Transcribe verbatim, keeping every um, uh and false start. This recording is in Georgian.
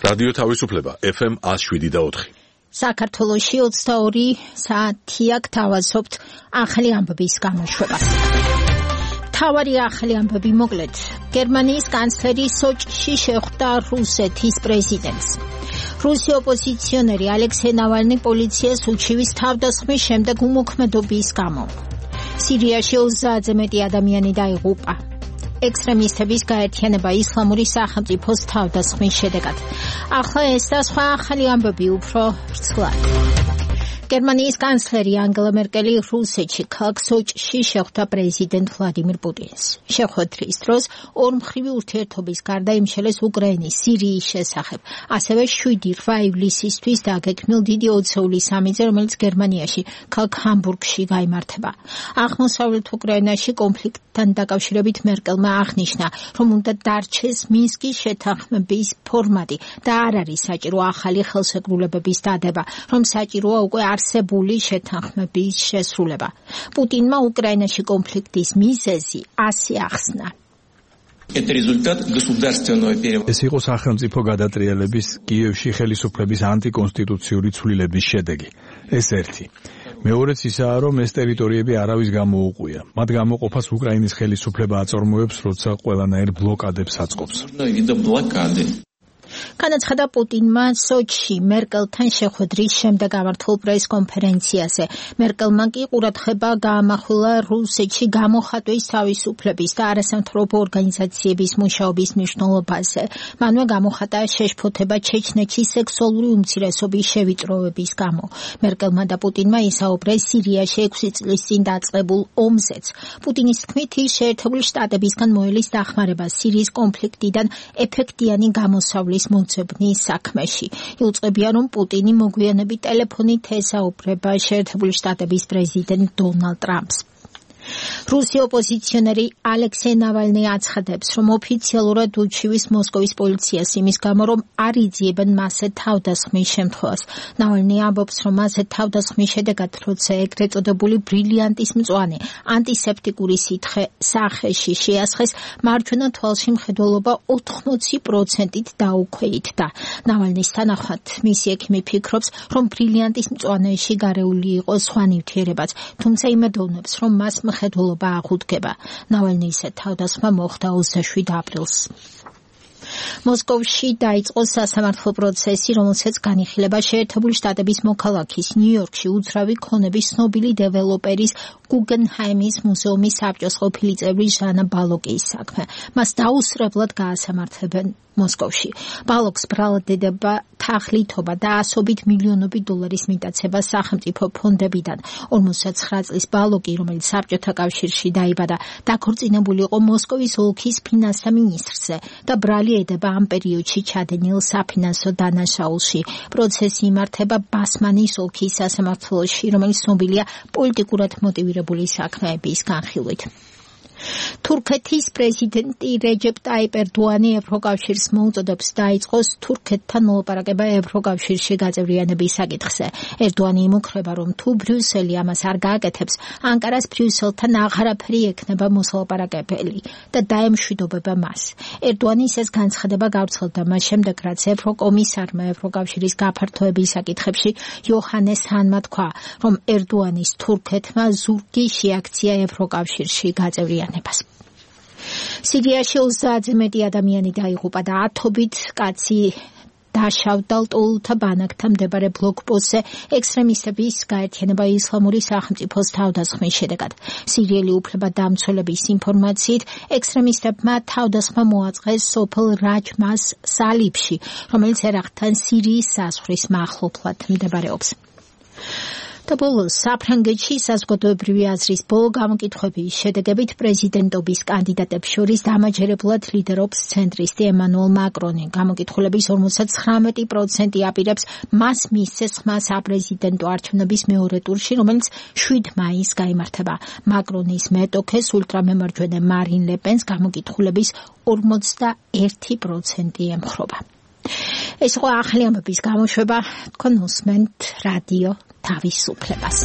რადიო თავისუფლება ეფ ემ one oh seven და four. საქართველოში ოცდაორი საათია გთავაზობთ ახალი ამბების გამოშვებას. თავარი ახალი ამბები მოკლედ. გერმანიის კანცლერი სოჭში შეხვდა რუსეთის პრეზიდენტს. რუსი ოპოზიციონერი ალექსეი ნავალნი პოლიციას უჩივის თავდასხმის შემდეგ უმოქმედობის გამო. სირიაში ოცდაათზე მეტი ადამიანი დაიღუპა. ექსტრემისტების გაერთიანება ისლამური სახელმწიფოს თავდასხმის შედეგად. ახლა ეს და სხვა ახალი ამბები უფრო ვრცლად. გერმანიის კანცლერი ანგელა მერკელი რუსეთში ქალაქ სოჭში შეხვდა პრეზიდენტ ვლადიმირ პუტინს. შეხვედრის დროს ორმხრივი ურთიერთობის გარდა იმშელეს უკრაინის, სირიის შესახებ, ასევე შვიდი რვა ივლისისთვის დაგეგმილ დიდი ოცეული სამიტზე, რომელიც გერმანიაში, ქალაქ ჰამბურგში გაიმართება. აღმოსავლეთ უკრაინაში კონფლიქტთან დაკავშირებით მერკელმა აღნიშნა, რომ უნდა დარჩეს მინსკის შეთანხმების ფორმატი და არ არის საჭირო ახალი ხელშეკრულებების დადება, რომ საჭიროა უკვე არსებული შეთანხმების შესრულება. პუტინმა უკრაინაში კონფლიქტის მიზეზი ასე ახსნა. ეს იყო სახელმწიფო გადატრიალების კიევში ხელისუფლების ანტიკონსტიტუციური ცვლილების შედეგი. ეს ერთი. მეორეც ისაა, რომ ეს ტერიტორიები არავის გამოუყვია. მათ გამოყოფას უკრაინის ხელისუფლება აწარმოებს, როცა ყველანაირ ბლოკადებს აწყობს. განაცხადა პუტინმა სოჭში მერკელთან შეხვედრის შემდეგ გამართულ პრეს-კონფერენციაზე. მერკელმა კი ყურადღება გაამახვილა რუსეთში გამოხატვის თავისუფლების და არასამთავრობო ორგანიზაციების მუშაობის მნიშვნელობაზე. მანვე გამოხატა შეშფოთება ჩეჩნეთში სექსუალური უმცირესობის შევიწროების გამო. მერკელმა და პუტინმა ისაუბრეს სირიაში ექვსი წლის წინ დაწყებულ ომზეც. პუტინის თქმით, ის შეერთებული შტატებისგან მოელის დახმარება სირიის კონფლიქტიდან ეფექტიანი გამოსავლის მოძებნის საქმეში. იუწყებია, რომ პუტინი მოგვიანებით ტელეფონით ესაუბრება შეერთებული შტატების პრეზიდენტ დონალდ ტრამპს. რუსი ოპოზიციონერი ალექსეი ნავალნი აცხადებს, რომ ოფიციალურად უჩივის მოსკოვის პოლიციას იმის გამო, რომ არ იძიებენ მასზე თავდასხმის შემთხვევას. ნავალნი ამბობს, რომ მასზე თავდასხმის შედეგად, როცა ეგრეთ წოდებული ბრილიანტის მწვანე ანტისეპტიკური სითხე სახეში შეასხეს, მარჯვენა თვალში მხედველობა ოთხმოცი პროცენტით დაუქვეითდა. ნავალნის თანახმად, მისი ექიმი ფიქრობს, რომ ბრილიანტის მწვანეში გარეული იყო სხვა ნივთიერებაც, თუმცა იმედოვნებს, რომ მას მხედველობა აღუდგება. ნავალნის თავდასხმა მოხდა ოცდაშვიდ აპრილს. მოსკოვში დაიწყო სასამართლო პროცესი, რომელსაც განიხილება შეერთებული შტატების მოქალაქის ნიუ-იორკში უძრავი ქონების ცნობილი დეველოპერის გუგენჰაიმის მუზეუმის საბჭოს ყოფილი წევრი ჟანა ბალოკის საქმე. მას დაუსრებლად გაასამართლებენ მოსკოვში. ბალოკს ბრალდება თაღლითობა და ასობით მილიონობით დოლარის მიტაცება სახელმწიფო ფონდებიდან. ორმოცდაცხრა წლის ბალოკი, რომელიც საბჭოთა კავშირში დაიბადა, დაქორწინებული იყო მოსკოვის ოლქის ფინანსთა მინისტრზე და ბრალი ედება ამ პერიოდში ჩადენილ საფინანსო დანაშაულში. პროცესი იმართება ბასმანის ოლქის სასამართლოში, რომელიც ცნობილია პოლიტიკურად მოტივირებული საქმეების განხილვით. თურქეთის პრეზიდენტი რეჯეპ ტაიპ ერდოანი ევროკავშირს მოუწოდებს დაიწყოს თურქეთთან მოლაპარაკება ევროკავშირში გაწევრიანების საკითხზე. ერდოანი იმუქრება, რომ თუ ბრიუსელი ამას არ გააკეთებს, ანკარას ბრიუსელთან აღარაფერი ექნება მოსალაპარაკებელი და დაემშვიდობება მას. ერდოანის ეს განცხადება გავრცელდა მას შემდეგ, რაც ევროკომისარმა ევროკავშირის გაფართოების საკითხებში იოჰანეს ჰანმა თქვა, რომ ერდოანის თურქეთმა ზურგი შეაქცია ევროკავშირში გაწევრიანებას. სირიაში ოცდაათზე მეტი ადამიანი დაიღუპა და ათობით კაცი დაშავდა ლტოლთა ბანაკთან მდებარე ბლოკპოსტზე ექსტრემისტების გაერთიანება ისლამური სახელმწიფოს თავდასხმის შედეგად. სირიელი უფლებადამცველების ინფორმაციით, ექსტრემისტებმა თავდასხმა მოაწყეს სოფელ რაჯმას სალიბში, რომელიც ერაყთან სირიის საზღვრის მახლობლად მდებარეობს. და ბოლოს საფრანგეთში საზოგადოებრივი აზრის ბოლო გამოკითხვების შედეგებით პრეზიდენტობის კანდიდატებს შორის დამაჯერებლად ლიდერობს ცენტრისტი ემანუელ მაკრონი. გამოკითხულების ორმოცდათხრამეტი პროცენტი აპირებს მას მისცეს ხმა საპრეზიდენტო არჩევნების მეორე ტურში, რომელიც შვიდ მაისს გაიმართება. მაკრონის მეტოქეს ულტრამემარჯვენე მარინ ლე პენს გამოკითხულების ორმოცდაერთი პროცენტი ემხრობა. ეს იყო ახალი ამბების გამოშვება, თქვენ უსმენთ რადიო თავისუფლებას.